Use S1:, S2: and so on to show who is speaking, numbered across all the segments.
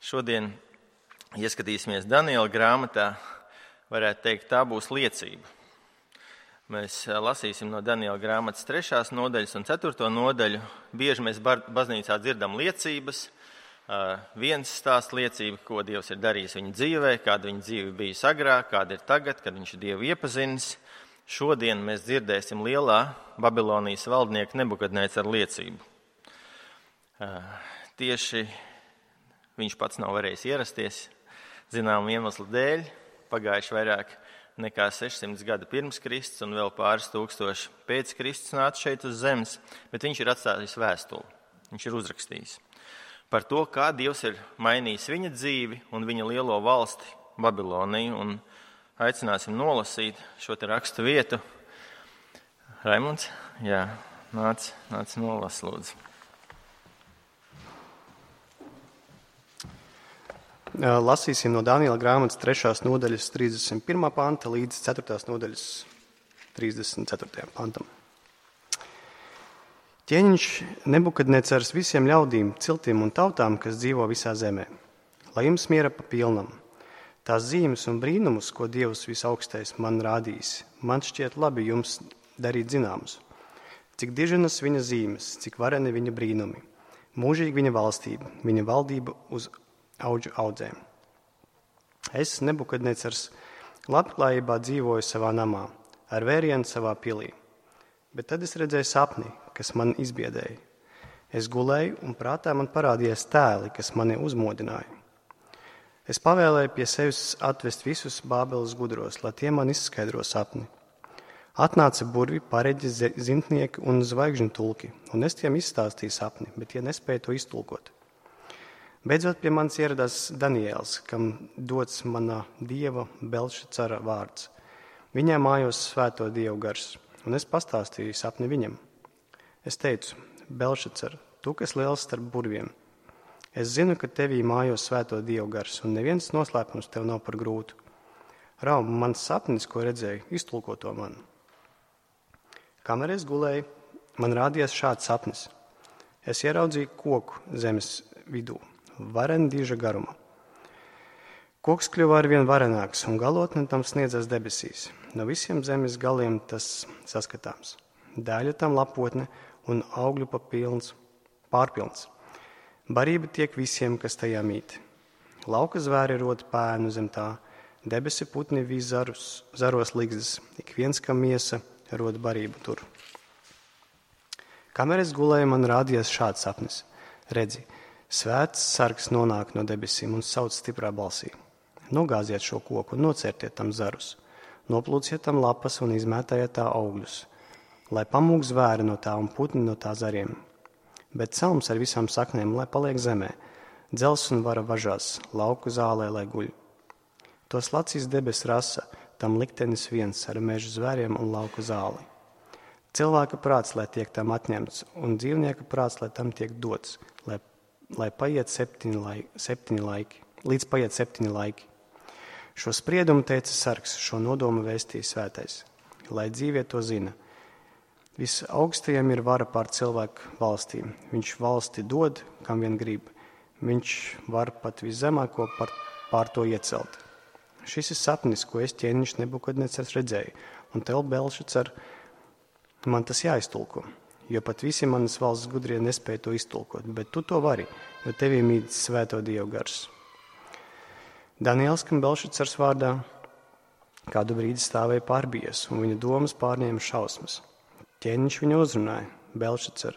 S1: Šodien ieskatīsimies Daniela grāmatā, varētu teikt, tā būs liecība. Mēs lasīsim no Daniela grāmatas 3. nodaļas un 4. nodaļu. Bieži mēs baznīcā dzirdam liecības. Viens stāsta liecību, ko Dievs ir darījis viņa dzīvē, kāda viņa dzīve bijusi agrāk, kāda ir tagad, kad viņš ir Dievu iepazinis. Šodien mēs dzirdēsim lielā Babilonijas valdnieka Nebukadnēcara liecību. Tieši viņš pats nav varējis ierasties zināmu iemeslu dēļ. Pagājuši vairāk nekā 600 gadi pirms Kristus un vēl pāris tūkstoši pēc Kristus nāca šeit uz zemes, bet viņš ir atstājis vēstuli. Viņš ir uzrakstījis par to, kā Dievs ir mainījis viņa dzīvi un viņa lielo valsti Babiloniju. Un aicināsim nolasīt šo te rakstu vietu. Raimunds, jā, nāc nolas, lūdzu.
S2: Lasīsim no Daniela grāmatas 3. nodaļas 31. panta līdz 4. nodaļas 34. pantam. Ķēniņš Nebukadnecars visiem ļaudīm, ciltīm un tautām, kas dzīvo visā zemē, lai jums miera pa pilnam. Tās zīmes un brīnumus, ko Dievs visaugstais man rādījis, man šķiet labi jums darīt zināmus. Cik diženas viņa zīmes, cik vareni viņa brīnumi, mūžīgi viņa valstība, viņa valdība uz auģu audzēm. Es, Nebukadnecars, labklājībā dzīvoju savā namā, ar vērienu savā pilī. Bet tad es redzēju sapni, kas man izbiedēja. Es gulēju un prātā man parādījās tēli, kas mani uzmodināja. Es pavēlēju pie sevis atvest visus Bābeles gudros, lai tie man izskaidro sapni. Atnāca burvi, pareģi, zintnieki un zvaigžņu tulki, un es tiem izstāstīju sapni, bet tie nespēja to iztulkot. Beidzot pie manis ieradās Daniēls, kam dots mana dieva Belšacara vārds. Viņā mājos svēto dievu gars, un es pastāstīju sapni viņam. Es teicu, Belšacar, tu, kas liels starp burviem, es zinu, ka tevī mājos svēto dievu gars, un neviens noslēpums tev nav par grūtu. Raum, mans sapnis, ko redzēju, iztulko to man. Kamēr es gulēju, man rādījās šāds sapnis. Es ieraudzīju koku zemes vidū, vareni diža garuma. Koks kļuva arvien varenāks, un galotne tam sniedzas debesīs. No visiem zemes galiem tas saskatāms. Dēļa tam lapotne un augļu pārpilns. Barība tiek visiem, kas tajā mīt. Lauka zvēri rod pēnu zem tā, debesi putni vīz zaros ligzdas, ik viens, kam miesa, rod barību tur. Kamēr es gulēju, man rādījās šāds sapnis. Redzi, svēts sargs nonāk no debesīm un sauc stiprā balsī. Nogāziet šo koku un nocērtiet tam zarus. Noplūciet tam lapas un izmētājiet tā augļus, lai pamūk zvēri no tā un putni no tā zariem. Bet celms ar visām saknēm, lai paliek zemē, dzels un vara važās, lauku zālē, lai guļ. Tos lacīs debes rasa, tam liktenis viens ar mežu zvēriem un lauku zāli. Cilvēka prāts, lai tiek tam atņemts, un dzīvnieka prāts, lai tam tiek dots, lai paiet 7 laiki, līdz paiet 7 laiki. Šo spriedumu teica sargs, šo nodomu vēstīja svētais, lai dzīvie to zina. Visaugstajam ir vara pār cilvēku valstīm. Viņš valsti dod, kam vien grib. Viņš var pat viszemāko pār to iecelt. Šis ir sapnis, ko es ķēniņš Nebukadnecars redzēju, un tev, Belšacar, man tas jāiztulko, jo pat visi manas valsts gudrie nespēja to iztulkot, bet tu to vari, jo tevī mīt svēto dievu gars. Daniels, kam Belšacars vārdā, kādu brīdi stāvēja pārbies, un viņa domas pārņēma šausmas. Ķēniņš viņu uzrunāja, Belšacar,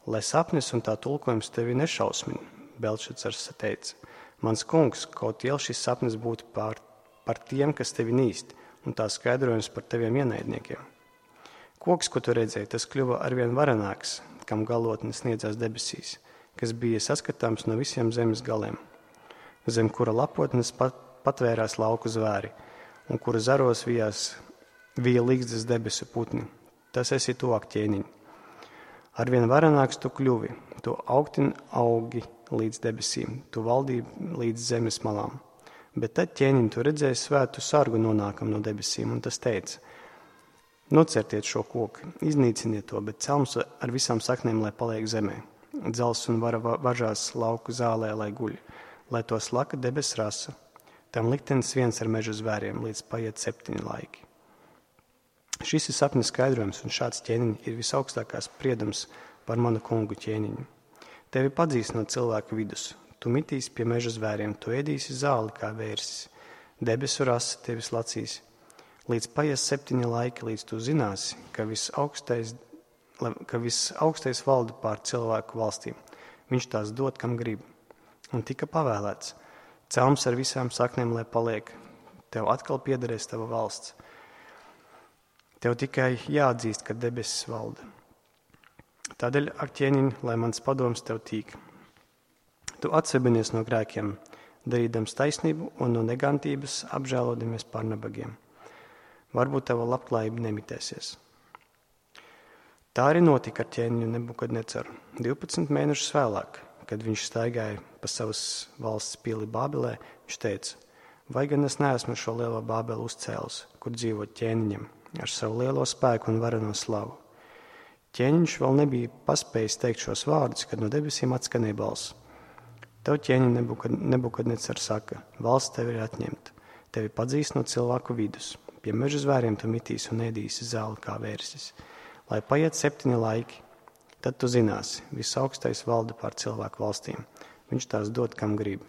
S2: lai sapnis un tā tulkojums tevi nešausmina. Belšacars teica, mans kungs, kaut iel šis sapnis būtu par tiem, kas tevi nīst, un tā skaidrojums par teviem ienaidniekiem. Koks, ko tu redzēji, tas kļuva arvien varenāks, kam galotne sniedzās debesīs, kas bija saskatāms no visiem zemes galiem, zem kura lapotnes patvērās lauku zvēri, un kura zaros vija līgzdas debesu putni. Tas esi tu, ak ķēniņ. Arvien varenāks tu kļuvi, tu augtin augi līdz debesīm, tu valdīji līdz zemes malām. Bet tad ķēniņ tu redzēji svētu sargu nonākam no debesīm, un tas teica, nocertiet šo koku, iznīciniet to, bet celms ar visām saknēm, lai paliek zemē. Dzels un vara važās lauku zālē, lai guļ. lai to slaka debes rasa. Tam liktenis viens ar meža zvēriem, līdz paiet 7 laiki. Šis ir sapņa skaidrojums, un šāds ķēniņš ir visaugstākās spriedums par manu kungu ķēniņu. Tevi padzīs no cilvēka vidus, tu mitīsi pie meža zvēriem, tu ēdīsi zāli kā vērsis, debesu rasa tevis lacīs. Līdz paies 7 laiki, līdz tu zināsi, ka visaugstais valda pār cilvēku valstīm. Viņš tās dod, kam grib. Un tika pavēlēts. Celms ar visām saknēm, lai paliek. Tev atkal piederēs tava valsts. Tev tikai jāatzīst, ka debesis valda. Tādēļ, ak ķēniņ, lai mans padoms tev tīk. Tu atsebinies no grēkiem, darīdams taisnību un no negantības apžēlodamies par nabagiem. Varbūt tava labklājība nemitēsies. Tā arī notika ar ķēniņu Nebukadnecaru. 12 mēnešus vēlāk, kad viņš staigāja pa savas valsts pili Bābelē, viņš teica, vai gan es neesmu šo lielo Bābeli uzcēlis, kur dzīvo ķēniņam, ar savu lielo spēku un vareno slavu. Ķēniņš vēl nebija paspējis teikt šos vārdus, kad no debesīm atskanēja balss. Tev ķēniņ Nebukadnecars saka, valsts tev ir atņemta, tevi padzīs no cilvēku vidus, pie meža zvēriem tu mitīs un ēdīsi zāli kā vērsis. Lai paiet 7 laiki, tad tu zināsi, visaugstais valda pār cilvēku valstīm, viņš tās dod, kam grib.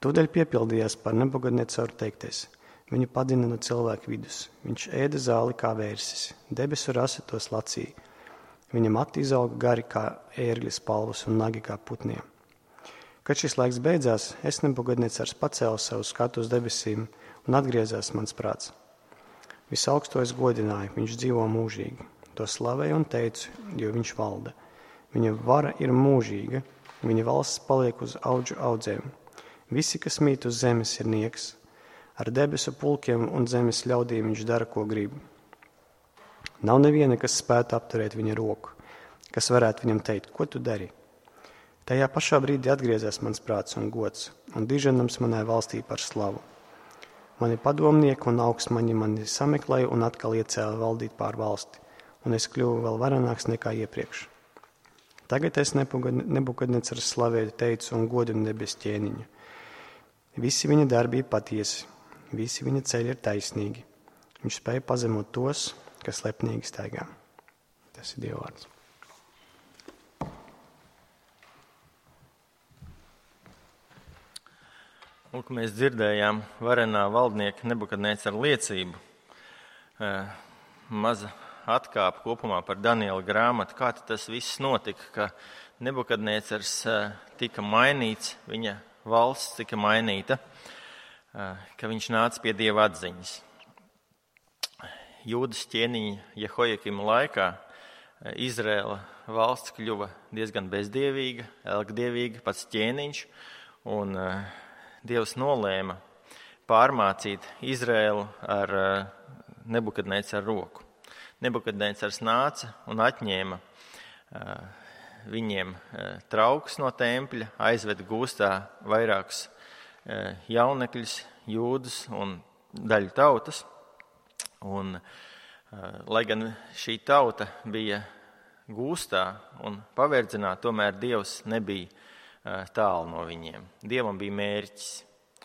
S2: Tūdaļ piepildījās par Nebukadnecaru teiktais. Viņu padina no cilvēku vidus. Viņš ēda zāli kā vērsis, debesu rasa tos lacīja. Viņa mati izauga gari kā ērgļa spalvas un nagi kā putniem. Kad šis laiks beidzās, es Nebukadnecars pacēlu savu skatu uz debesīm un atgriezās mans prāts. Visaugsto es godināju, viņš dzīvo mūžīgi. To slavēju un teicu, jo viņš valda. Viņa vara ir mūžīga, viņa valsts paliek uz audžu audzēm. Visi, kas mīt uz zemes, ir nieks. Ar debesu pulkiem un zemes ļaudīm viņš dara, ko grib. Nav neviena, kas spētu apturēt viņa roku, kas varētu viņam teikt, ko tu dari. Tajā pašā brīdī atgriezās mans prāts un gods, un diženams manai valstī par slavu. Mani padomnieki un augstmaņi mani sameklēja un atkal iecēla valdīt pār valsti, un es kļuvu vēl varenāks nekā iepriekš. Tagad es Nebukadnecars slavēju, teicu un godinu debes ķēniņu. Visi viņa darbi ir patiesi, visi viņa ceļi ir taisnīgi. Viņš spēja pazemot tos, kas lepnīgi staigā. Tas ir Dieva vārds.
S1: Lūk, mēs dzirdējām varenā valdnieka Nebukadnecara liecību. Maza atkāpe kopumā par Daniela grāmatu. Kā tas viss notika, ka Nebukadnecars tika mainīts, viņa valsts tika mainīta, ka viņš nāca pie Dieva atziņas. Jūdas ķēniņa Jehojakima laikā Izraēla valsts kļuva diezgan bezdievīga, elgdievīga, pats ķēniņš, un Dievs nolēma pārmācīt Izraēlu ar Nebukadnecaru roku. Nebukadnecars nāca un atņēma viņiem traukus no tempļa, aizveda gūstā vairākus jaunekļus, jūdus un daļu tautas. Un, lai gan šī tauta bija gūstā un paverdzināta, tomēr Dievs nebija tālu no viņiem. Dievam bija mērķis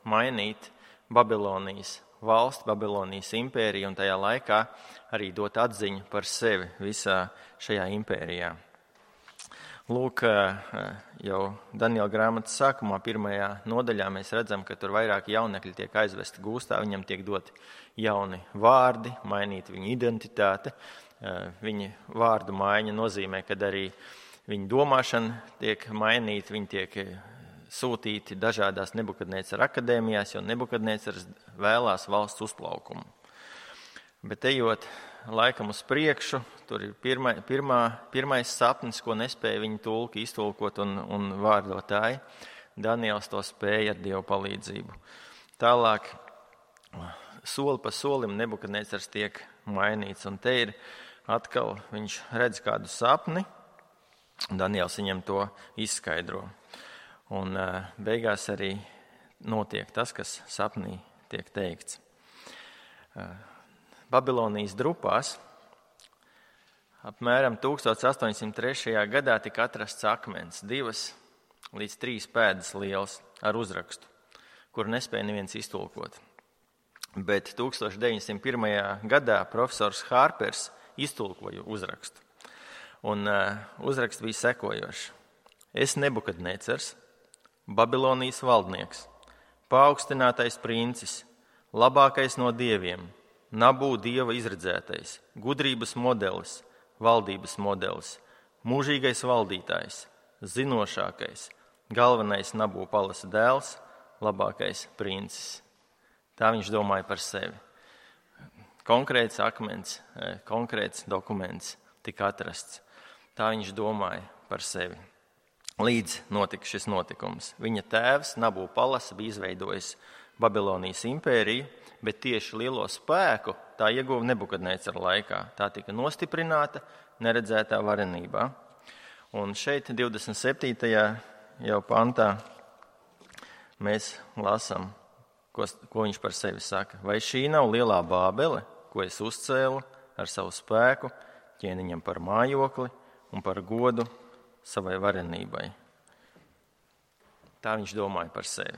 S1: mainīt Babilonijas valsti, Babilonijas impēriju un tajā laikā arī dot atziņu par sevi visā šajā impērijā. Lūk, jau Daniela grāmatas sākumā, 1. nodaļā, mēs redzam, ka tur vairāki jaunekļi tiek aizvesti gūstā, viņam tiek doti jauni vārdi, mainīt viņa identitāte. Viņa vārdu maiņa nozīmē, ka arī viņa domāšana tiek mainīta, viņi tiek sūtīti dažādās Nebukadnecara akadēmijās, jo Nebukadnecars vēlās valsts uzplaukumu. Bet ejot laikam uz priekšu, tur ir pirmais sapnis, ko nespēja viņa tulki iztulkot un vārdotāji. Daniels to spēja ar Dievu palīdzību. Tālāk, soli pa solim Nebukadnecars tiek mainīts, un te ir atkal viņš redz kādu sapni, Daniels viņam to izskaidro. Un beigās arī notiek tas, kas sapnī tiek teikts. Babilonijas drupās apmēram 1803. gadā tika atrasts akmens. 2 līdz 3 pēdas liels ar uzrakstu, kuru nespēja neviens iztulkot. Bet 1901. gadā profesors Hārpers iztulkoja uzrakstu. Un uzraksts bija sekojošs. Es Nebukadnecars, Babilonijas valdnieks, paaugstinātais princis, labākais no dieviem, Nabū dieva izredzētais, gudrības modelis, valdības modelis, mūžīgais valdītājs, zinošākais, galvenais Nabū palasa dēls, labākais princis. Tā viņš domāja par sevi. Konkrēts akmens, konkrēts dokuments tika atrasts. Tā viņš domāja par sevi. Līdz notika šis notikums. Viņa tēvs Nabū palasa bija izveidojis Babilonijas impēriju, bet tieši lielo spēku tā ieguva Nebukadnecara laikā. Tā tika nostiprināta neredzētā varenībā. Un šeit 27. jau pantā mēs lasām, ko viņš par sevi saka. Vai šī nav lielā Bābele, ko es uzcēlu ar savu spēku, ķēniņam par mājokli un par godu savai varenībai? Tā viņš domāja par sevi.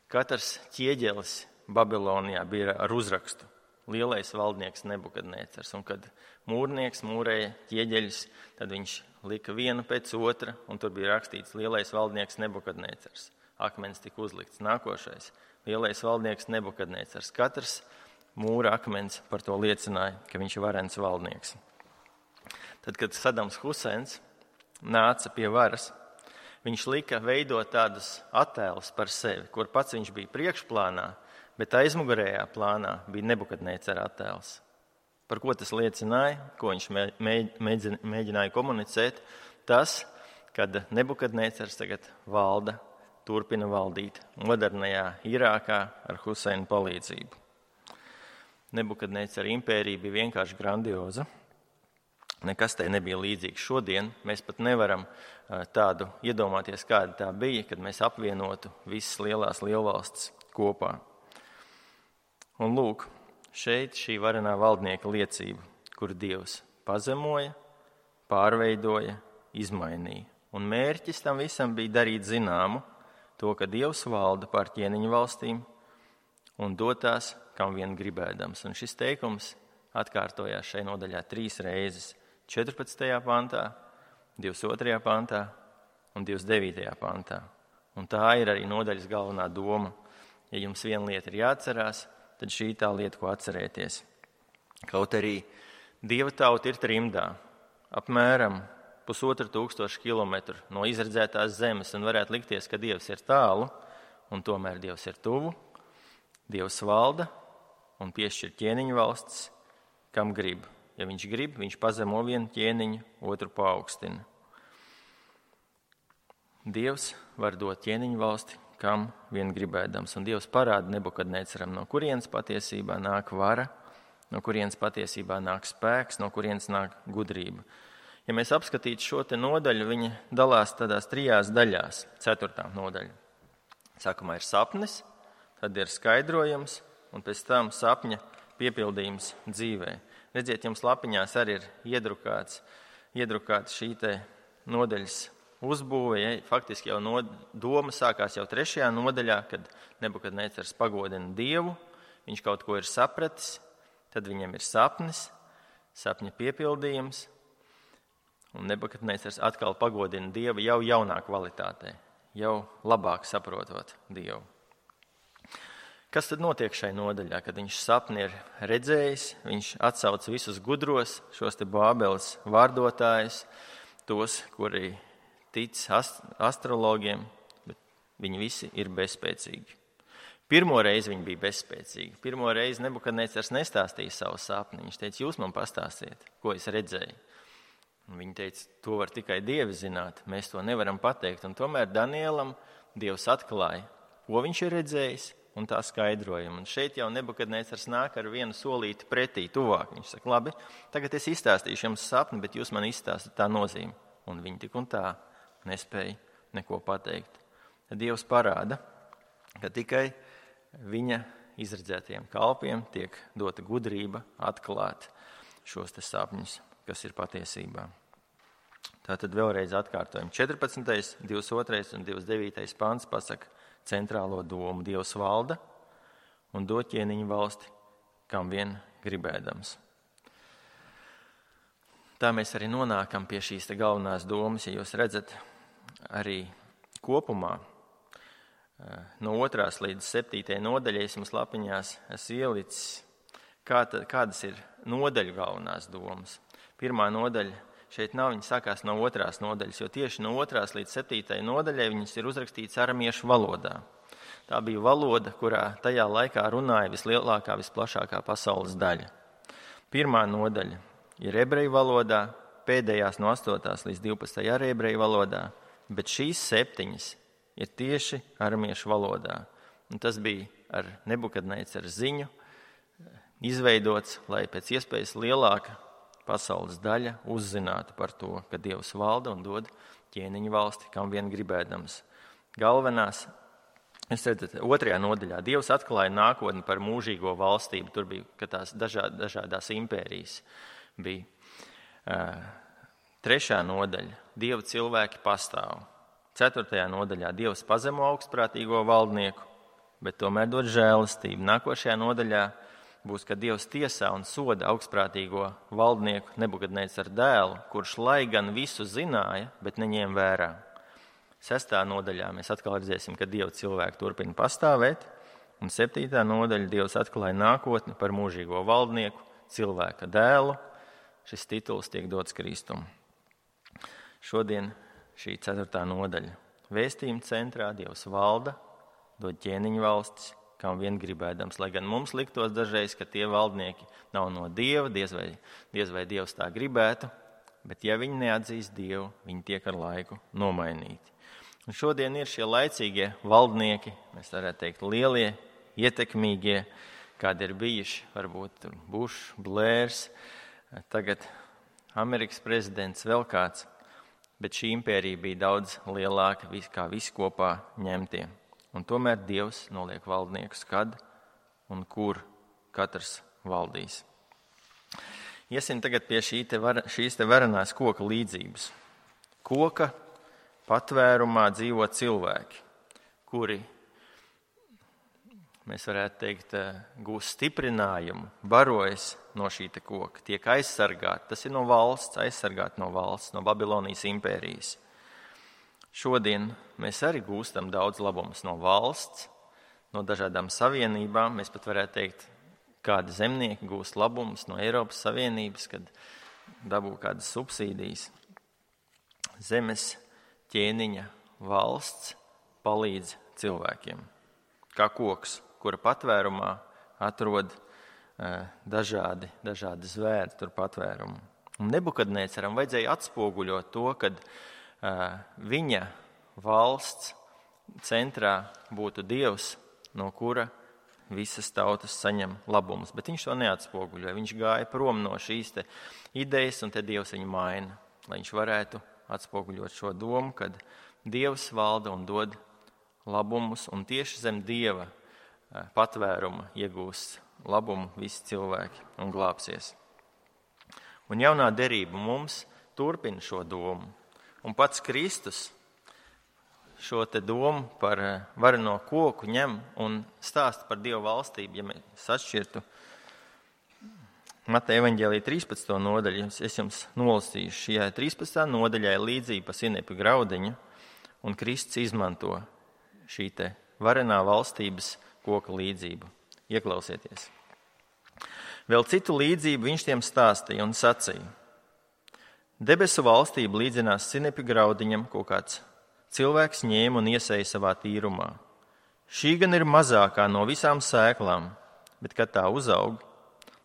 S1: Katrs ķieģelis Babilonijā bija ar uzrakstu lielais valdnieks Nebukadnecars. Un kad mūrnieks mūrēja ķieģeļus, tad viņš lika vienu pēc otra, un tur bija rakstīts lielais valdnieks Nebukadnecars. Akmens tika uzlikts. Nākošais lielais valdnieks Nebukadnecars. Katrs mūra akmens par to liecināja, ka viņš ir varens valdnieks. Tad, kad Sadams Huseins nāca pie varas, viņš lika veidot tādus attēlus par sevi, kur pats viņš bija priekšplānā, bet aizmugurējā plānā bija Nebukadnecara attēls. Par ko tas liecināja, ko viņš mēģināja komunicēt? Tas, kad Nebukadnecars tagad valda, turpina valdīt modernajā Irākā ar Huseina palīdzību. Nebukadnecara impērija bija vienkārši grandioza. Nekas tai nebija līdzīgs šodien. Mēs pat nevaram tādu iedomāties, kāda tā bija, kad mēs apvienotu visas lielās lielvalstis kopā. Un lūk, šeit šī varenā valdnieka liecība, kur Dievs pazemoja, pārveidoja, izmainīja. Un mērķis tam visam bija darīt zināmu to, ka Dievs valda pār ķēniņu valstīm un dotās, kam vien gribēdams. Un šis teikums atkārtojās šai nodaļā 3 reizes. 14. pantā, 22. pantā un 29. pantā. Un tā ir arī nodaļas galvenā doma. Ja jums viena lieta ir jāatcerās, tad šī tā lieta, ko atcerēties. Kaut arī Dieva tauta ir trimdā, apmēram 1500 kilometru no izredzētās zemes, un varētu likties, ka Dievs ir tālu, un tomēr Dievs ir tuvu. Dievs valda un piešķir ķēniņu valsts, kam grib. Ja viņš grib, viņš pazemo vienu ķēniņu, otru paaugstina. Dievs var dot ķēniņu valsti, kam vien gribēdams. Un Dievs parāda Nebukadnecaram, no kurienes patiesībā nāk vara, no kurienes patiesībā nāk spēks, no kurienes nāk gudrība. Ja mēs apskatītu šo te nodaļu, viņa dalās tādās 3 daļās. 4. nodaļa. Sākumā ir sapnis, tad ir skaidrojums, un pēc tam sapņa piepildījums dzīvē. Redziet, jums lapiņās arī ir iedrukāts šī te nodaļas uzbūve. Ja? Faktiski jau doma sākās jau 3. nodaļā, kad Nebukadnecars pagodina Dievu, viņš kaut ko ir sapratis, tad viņam ir sapnis, sapņa piepildījums, un Nebukadnecars atkal pagodina Dievu jau jaunā kvalitātē, jau labāk saprotot Dievu. Kas tad notiek šai nodaļā, kad viņš sapni ir redzējis, viņš atsauc visus gudros, šos te Bābeles vārdotājus, tos, kuri tic astrologiem, bet viņi visi ir bezspēcīgi. Pirmo reizi viņi bija bezspēcīgi. Pirmo reizi Nebukadnecars nestāstīja savu sapni. Viņš teica, jūs man pastāstiet, ko es redzēju. Un viņi teica, to var tikai Dievi zināt, mēs to nevaram pateikt. Un tomēr Danielam Dievs atklāja, ko viņš ir redzējis, un tā skaidrojumu. Un šeit jau Nebukadnecars nāk ar vienu solīti pretī, tuvāk. Viņš saka, labi, tagad es izstāstīšu jums sapni, bet jūs man izstāstat tā nozīmi. Un viņi tik un tā nespēja neko pateikt. Tad Dievs parāda, ka tikai viņa izredzētajiem kalpiem tiek dota gudrība atklāt šos te sapņus, kas ir patiesībā. Tātad vēlreiz atkārtojam. 14., 22. un 29. pants pasaka centrālo domu. Dievs valda un dod ķēniņu valsti, kam vien gribēdams. Tā mēs arī nonākam pie šīs te galvenās domas, ja jūs redzat arī kopumā. No 2. līdz 7. nodaļai mums lapiņās esmu ielicis, kādas ir nodaļu galvenās domas. Pirmā nodaļa šeit nav, viņa sākās no 2. nodaļas, jo tieši no 2. līdz 7. nodaļai viņas ir uzrakstīts aramiešu valodā. Tā bija valoda, kurā tajā laikā runāja vislielākā, visplašākā pasaules daļa. Pirmā nodaļa ir ebreju valodā, pēdējās no 8. līdz 12. arī ebreju valodā, bet šīs 7 ir tieši aramiešu valodā. Un tas bija ar Nebukadnecaru ziņu izveidots, lai pēc iespējas lielāka pasaules daļa uzzinātu par to, ka Dievs valda un dod ķēniņu valsti, kam vien gribēdams. Galvenās, jūs redzat, 2. nodaļā Dievs atklāja nākotni par mūžīgo valstību. Tur bija, ka tās dažādās impērijas bija. 3. nodaļa Dieva cilvēki pastāv. 4. nodaļā Dievs pazemo augstprātīgo valdnieku, bet tomēr dod žēlastību. Nākošajā nodaļā būs, ka Dievs tiesā un soda augstprātīgo valdnieku Nebukadnecaru dēlu, kurš lai gan visu zināja, bet neņēma vērā. 6. nodaļā mēs atkal redzēsim, ka Dieva cilvēki turpina pastāvēt, un 7. nodaļa Dievs atklāja nākotni par mūžīgo valdnieku, cilvēka dēlu. Šis tituls tiek dots Kristum. Šodien šī 4. nodaļa. Vēstījuma centrā Dievs valda, dod ķēniņu valstis, kam vien gribēdams. Lai gan mums liktos dažreiz, ka tie valdnieki nav no Dieva, diez vai Dievs tā gribētu, bet ja viņi neatzīst Dievu, viņi tiek ar laiku nomainīti. Un šodien ir šie laicīgie valdnieki, mēs varētu teikt lielie, ietekmīgie, kādi ir bijuši, varbūt Bušs, Blērs, tagad Amerikas prezidents, vēl kāds, bet šī impērija bija daudz lielāka kā visi kopā ņemtie. Un tomēr Dievs noliek valdniekus, kad un kur katrs valdīs. Iesim tagad pie šīs te varenās koka līdzības. Koka patvērumā dzīvo cilvēki, kuri, mēs varētu teikt, gūst stiprinājumu, barojas no šī te koka, tiek aizsargāti. Tas ir no valsts, aizsargāti no valsts, no Babilonijas impērijas. Šodien mēs arī gūstam daudz labumus no valsts, no dažādām savienībām. Mēs pat varētu teikt, kādi zemnieki gūst labumus no Eiropas Savienības, kad dabū kādas subsīdijas. Zemes ķēniņa valsts palīdz cilvēkiem, kā koks, kura patvērumā atrod dažādi zvēri tur patvērumu. Un Nebukadnecaram vajadzēja atspoguļot to, kad viņa valsts centrā būtu Dievs, no kura visas tautas saņem labumus. Bet viņš to neatspoguļoja. Viņš gāja prom no šīs te idejas, un te Dievs viņu maina, lai viņš varētu atspoguļot šo domu, kad Dievs valda un dod labumus, un tieši zem Dieva patvēruma iegūs labumu visi cilvēki un glābsies. Un jaunā derība mums turpina šo domu. Un pats Kristus šo te domu par vareno koku ņem un stāsta par Dieva valstību. Ja mēs atšķirtu Mateja evaņģēlija 13. nodaļu, es jums nolasīšu. Šajā 13. nodaļā ir līdzība par sinepju graudiņu, un Kristus izmanto šī te varenā valstības koka līdzību. Ieklausieties. Vēl citu līdzību viņš tiem stāstīja un sacīja. Debesu valstība līdzinās sinepju graudiņam, ko kāds cilvēks ņēma un iesēja savā tīrumā. Šī gan ir mazākā no visām sēklām, bet kad tā uzaug,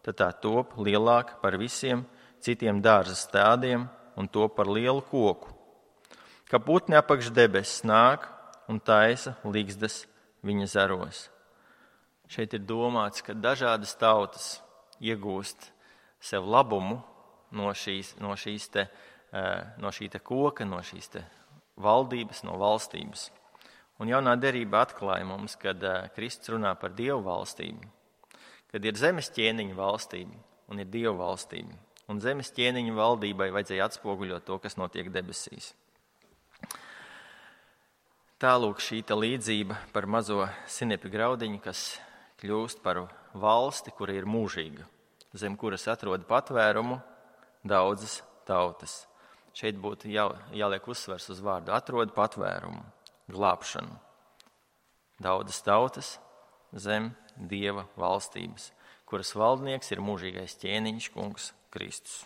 S1: tad tā top lielāka par visiem citiem dārza stādiem un top par lielu koku. Kā putni apakš debesis nāk un taisa ligzdas viņa zaros. Šeit ir domāts, ka dažādas tautas iegūst sev labumu no šī te koka, no šīs te valdības, no valstības. Un jaunā derība atklāja mums, kad Kristus runā par Dievu valstību, kad ir zemes ķēniņa valstība un ir Dievu valstība. un zemes ķēniņu valdībai vajadzēja atspoguļot to, kas notiek debesīs. Tālūk šī līdzība par mazo sinepju graudiņu, kas kļūst par valsti, kura ir mūžīga, zem kuras atrod patvērumu daudzas tautas. Šeit būtu jāliek uzsvers uz vārdu atrod patvērumu, glābšanu. Daudzas tautas zem Dieva valstības, kuras valdnieks ir mūžīgais ķēniņš, kungs Kristus.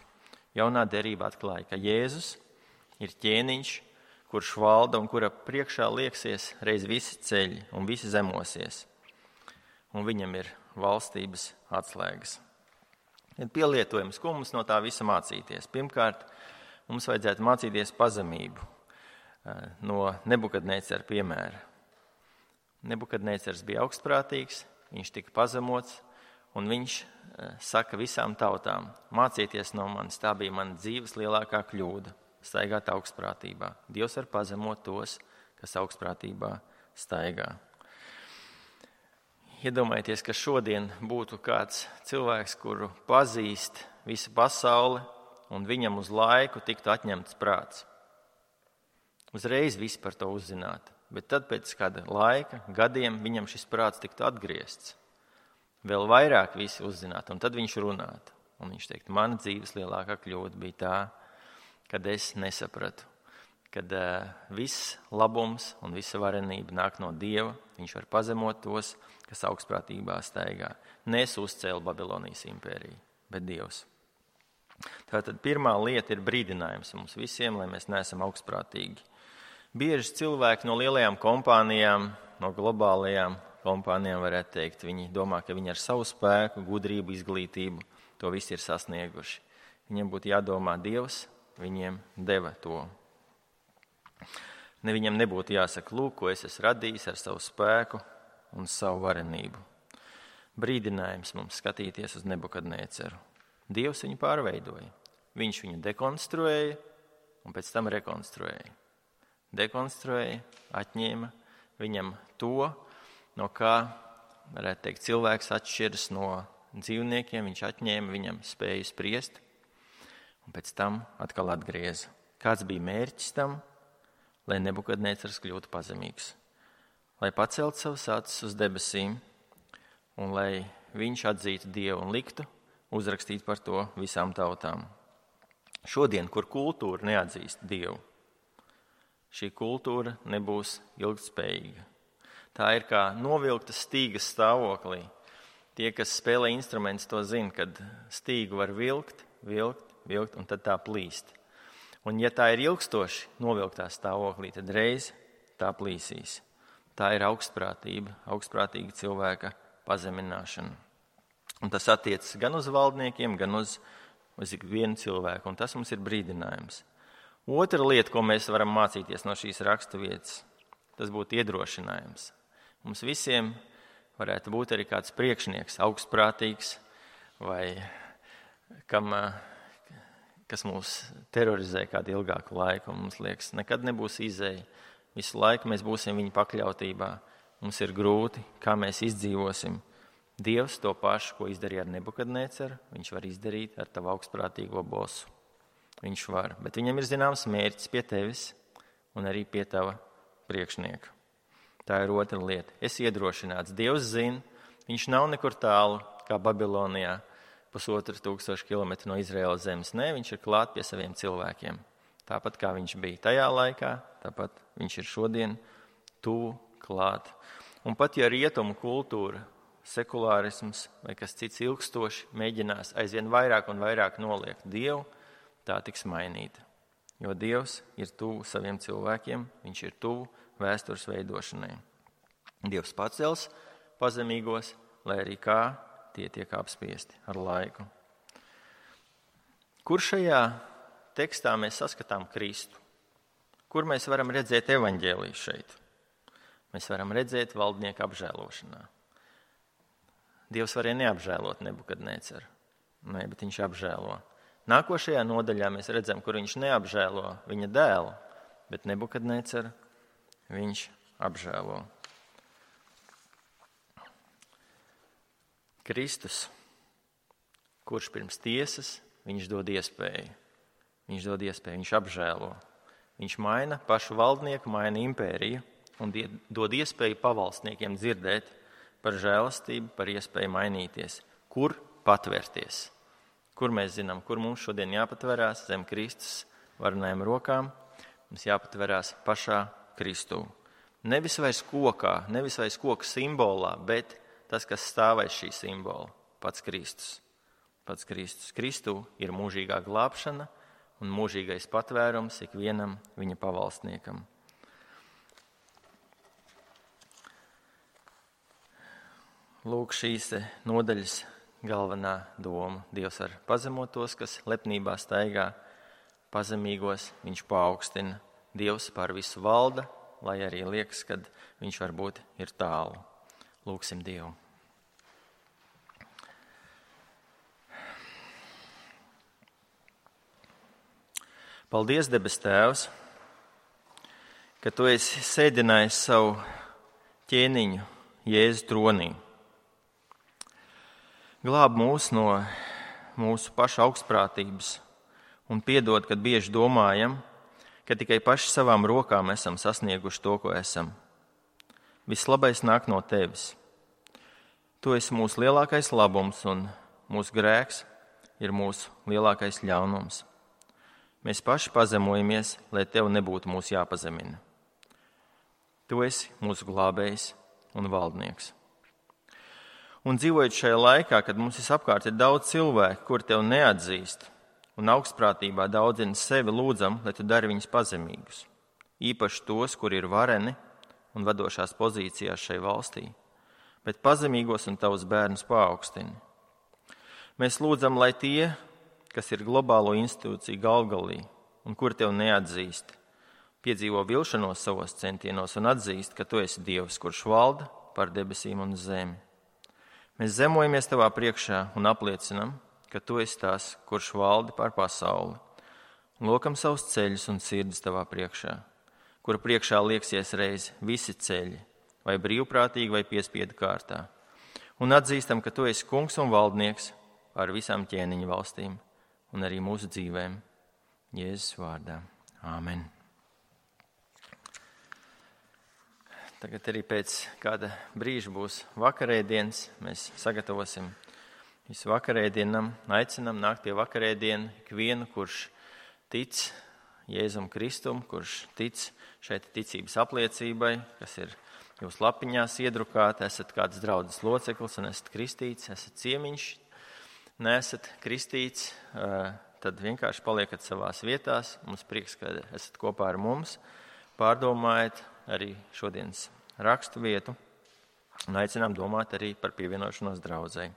S1: Jaunā derība atklāja, ka Jēzus ir ķēniņš, kurš valda un kura priekšā lieksies reiz visi ceļi un visi zemosies. Un viņam ir valstības atslēgas. Ir pielietojums, ko mums no tā visa mācīties. Pirmkārt, mums vajadzētu mācīties pazemību no Nebukadnecera piemēra. Nebukadnecers bija augstprātīgs, viņš tika pazemots, un viņš saka visām tautām, mācieties no manis, tā bija mana dzīves lielākā kļūda, staigāt augstprātībā. Dievs var pazemot tos, kas augstprātībā staigā. Iedomājieties, ka šodien būtu kāds cilvēks, kuru pazīst visa pasaule, un viņam uz laiku tiktu atņemts prāts. Uzreiz visi par to uzzinātu, bet tad pēc kāda laika, gadiem, viņam šis prāts tiktu atgriezts. Vēl vairāk visi uzzinātu, un tad viņš runātu. Un viņš teikt, mana dzīves lielākā kļūda bija tā, kad es nesapratu, kad viss labums un visa varenība nāk no Dieva, viņš var pazemot tos, kas augstprātībā staigā. Nes uzcēla Babilonijas impēriju, bet Dievs. Tātad pirmā lieta ir brīdinājums mums visiem, lai mēs neesam augstprātīgi. Bieži cilvēki no lielajām kompānijām, no globālajām kompānijām varētu teikt, viņi domā, ka viņi ar savu spēku, gudrību, izglītību to visu ir sasnieguši. Viņiem būtu jādomā, Dievs viņiem deva to. Viņam nebūtu jāsaka, lūk, ko es esmu radījis ar savu spēku un savu varenību. Brīdinājums mums skatīties uz Nebukadneceru. Dievs viņu pārveidoja. Viņš viņu dekonstruēja un pēc tam rekonstruēja. Dekonstruēja, atņēma viņam to, no kā, varētu teikt, cilvēks atšķiras no dzīvniekiem. Viņš atņēma viņam spēju spriest un pēc tam atkal atgrieza. Kāds bija mērķis tam? Lai Nebukadnecers kļūtu pazemīgs, lai pacelt savus acis uz debesīm un lai viņš atzītu Dievu un liktu uzrakstīt par to visām tautām. Šodien, kur kultūra neatzīst Dievu, šī kultūra nebūs ilgtspējīga. Tā ir kā novilkta stīgas stāvoklī. Tie, kas spēlē instrumentus, to zina, kad stīgu var vilkt un tad tā plīst. Un ja tā ir ilgstoši novilktā stāvoklī, tad reiz tā plīsīs. Tā ir augstprātīga cilvēka pazemināšana. Un tas attiecas gan uz valdniekiem, gan uz ikvienu cilvēku. Un tas mums ir brīdinājums. Otra lieta, ko mēs varam mācīties no šīs raksturvietas, tas būtu iedrošinājums. Mums visiem varētu būt arī kāds priekšnieks, augstprātīgs vai kas mūs terorizē kādu ilgāku laiku, un mums liekas, nekad nebūs izēja. Visu laiku mēs būsim viņa pakļautībā. Mums ir grūti, kā mēs izdzīvosim. Dievs to pašu, ko izdarīja ar Nebukadneceru, viņš var izdarīt ar tavu augstprātīgo bosu. Viņš var, bet viņam ir zināms mērķis pie tevis un arī pie tava priekšnieka. Tā ir otra lieta. Es iedrošināts. Dievs zina, viņš nav nekur tālu, kā Babilonijā, 1500 kilometru no Izraēlas zemes. Nē, viņš ir klāt pie saviem cilvēkiem. Tāpat kā viņš bija tajā laikā, tāpat viņš ir šodien tuvu klāt. Un pat ja rietumu kultūra, sekulārisms vai kas cits ilgstoši mēģinās aizvien vairāk un vairāk noliegt Dievu, tā tiks mainīta. Jo Dievs ir tuvu saviem cilvēkiem, viņš ir tuvu vēstures veidošanai. Dievs pacels pazemīgos, lai arī kā tie tiek apspiesti ar laiku. Kur šajā tekstā mēs saskatām Kristu? Kur mēs varam redzēt evaņģēliju šeit? Mēs varam redzēt valdnieku apžēlošanā. Dievs varēja neapžēlot Nebukadneceru. Nē, bet viņš apžēlo. Nākošajā nodaļā mēs redzam, kur viņš neapžēlo viņa dēlu, bet Nebukadneceru viņš apžēlo. Kristus, kurš pirms tiesas viņš dod iespēju. Viņš apžēlo. Viņš maina pašu valdnieku, maina impēriju un dod iespēju pavalstniekiem dzirdēt par žēlastību, par iespēju mainīties. Kur patvērties? Kur mēs zinām, kur mums šodien jāpatverās zem Kristus varenajām rokām? Mums jāpatverās pašā Kristū. Nevis vairs kokā, nevis vairs koka simbolā, bet tas, kas stāv aiz šī simbola, pats Kristus. Pats Kristus. Kristū ir mūžīgā glābšana un mūžīgais patvērums ikvienam viņa pavalstniekam. Lūk, šīs nodaļas galvenā doma. Dievs var pazemot tos, kas lepnībā staigā, pazemīgos viņš paaugstina. Dievs pār visu valda, lai arī liekas, kad viņš varbūt ir tālu. Lūksim Dievu. Paldies, debes Tēvs, ka Tu esi sēdinājis savu ķēniņu Jēzu tronī. Glāb mūs no mūsu pašu augstprātības un piedod, kad bieži domājam, ka tikai paši savām rokām esam sasnieguši to, ko esam. Viss labais nāk no Tevis. Tu esi mūsu lielākais labums un mūsu grēks ir mūsu lielākais ļaunums. Mēs paši pazemojamies, lai Tev nebūtu mūs jāpazemina. Tu esi mūsu glābējs un valdnieks. Un dzīvojot šajā laikā, kad mums visapkārt ir daudz cilvēku, kur Tev neatzīst, un augstprātībā daudzina sevi, lūdzam, lai Tu dari viņus pazemīgus. Īpaši tos, kuri ir vareni un vadošās pozīcijās šai valstī, bet pazemīgos un Tavus bērnus paaugstini. Mēs lūdzam, lai tie, kas ir globālo institūciju galvgalī un kur Tev neatzīst, piedzīvo vilšanos savos centienos un atzīst, ka Tu esi Dievs, kurš valda pār debesīm un zemi. Mēs zemojamies Tavā priekšā un apliecinam, ka Tu esi tas, kurš valda pār pasauli. Un lokam savus ceļus un sirdis Tavā priekšā, kura priekšā lieksies reiz visi ceļi, vai brīvprātīgi, vai piespiedu kārtā. Un atzīstam, ka Tu esi kungs un valdnieks pār visām ķēniņu valstīm un arī mūsu dzīvēm. Jēzus vārdā. Āmen. Tagad arī pēc kāda brīža būs vakarēdienas. Mēs sagatavosim visu vakarēdienam, aicinam nākt pie vakarēdienu ikvienu, kurš tic Jēzum Kristum, kurš tic šai ticības apliecībai, kas ir jūsu lapiņās iedrukāta, esat kāds draudzes loceklis un esat kristīts, esat ciemiņš, neesat kristīts, tad vienkārši paliekat savās vietās. Mums prieks, ka esat kopā ar mums. Pārdomājiet arī šodienas rakstu vietu un aicinām domāt arī par pievienošanos draudzei.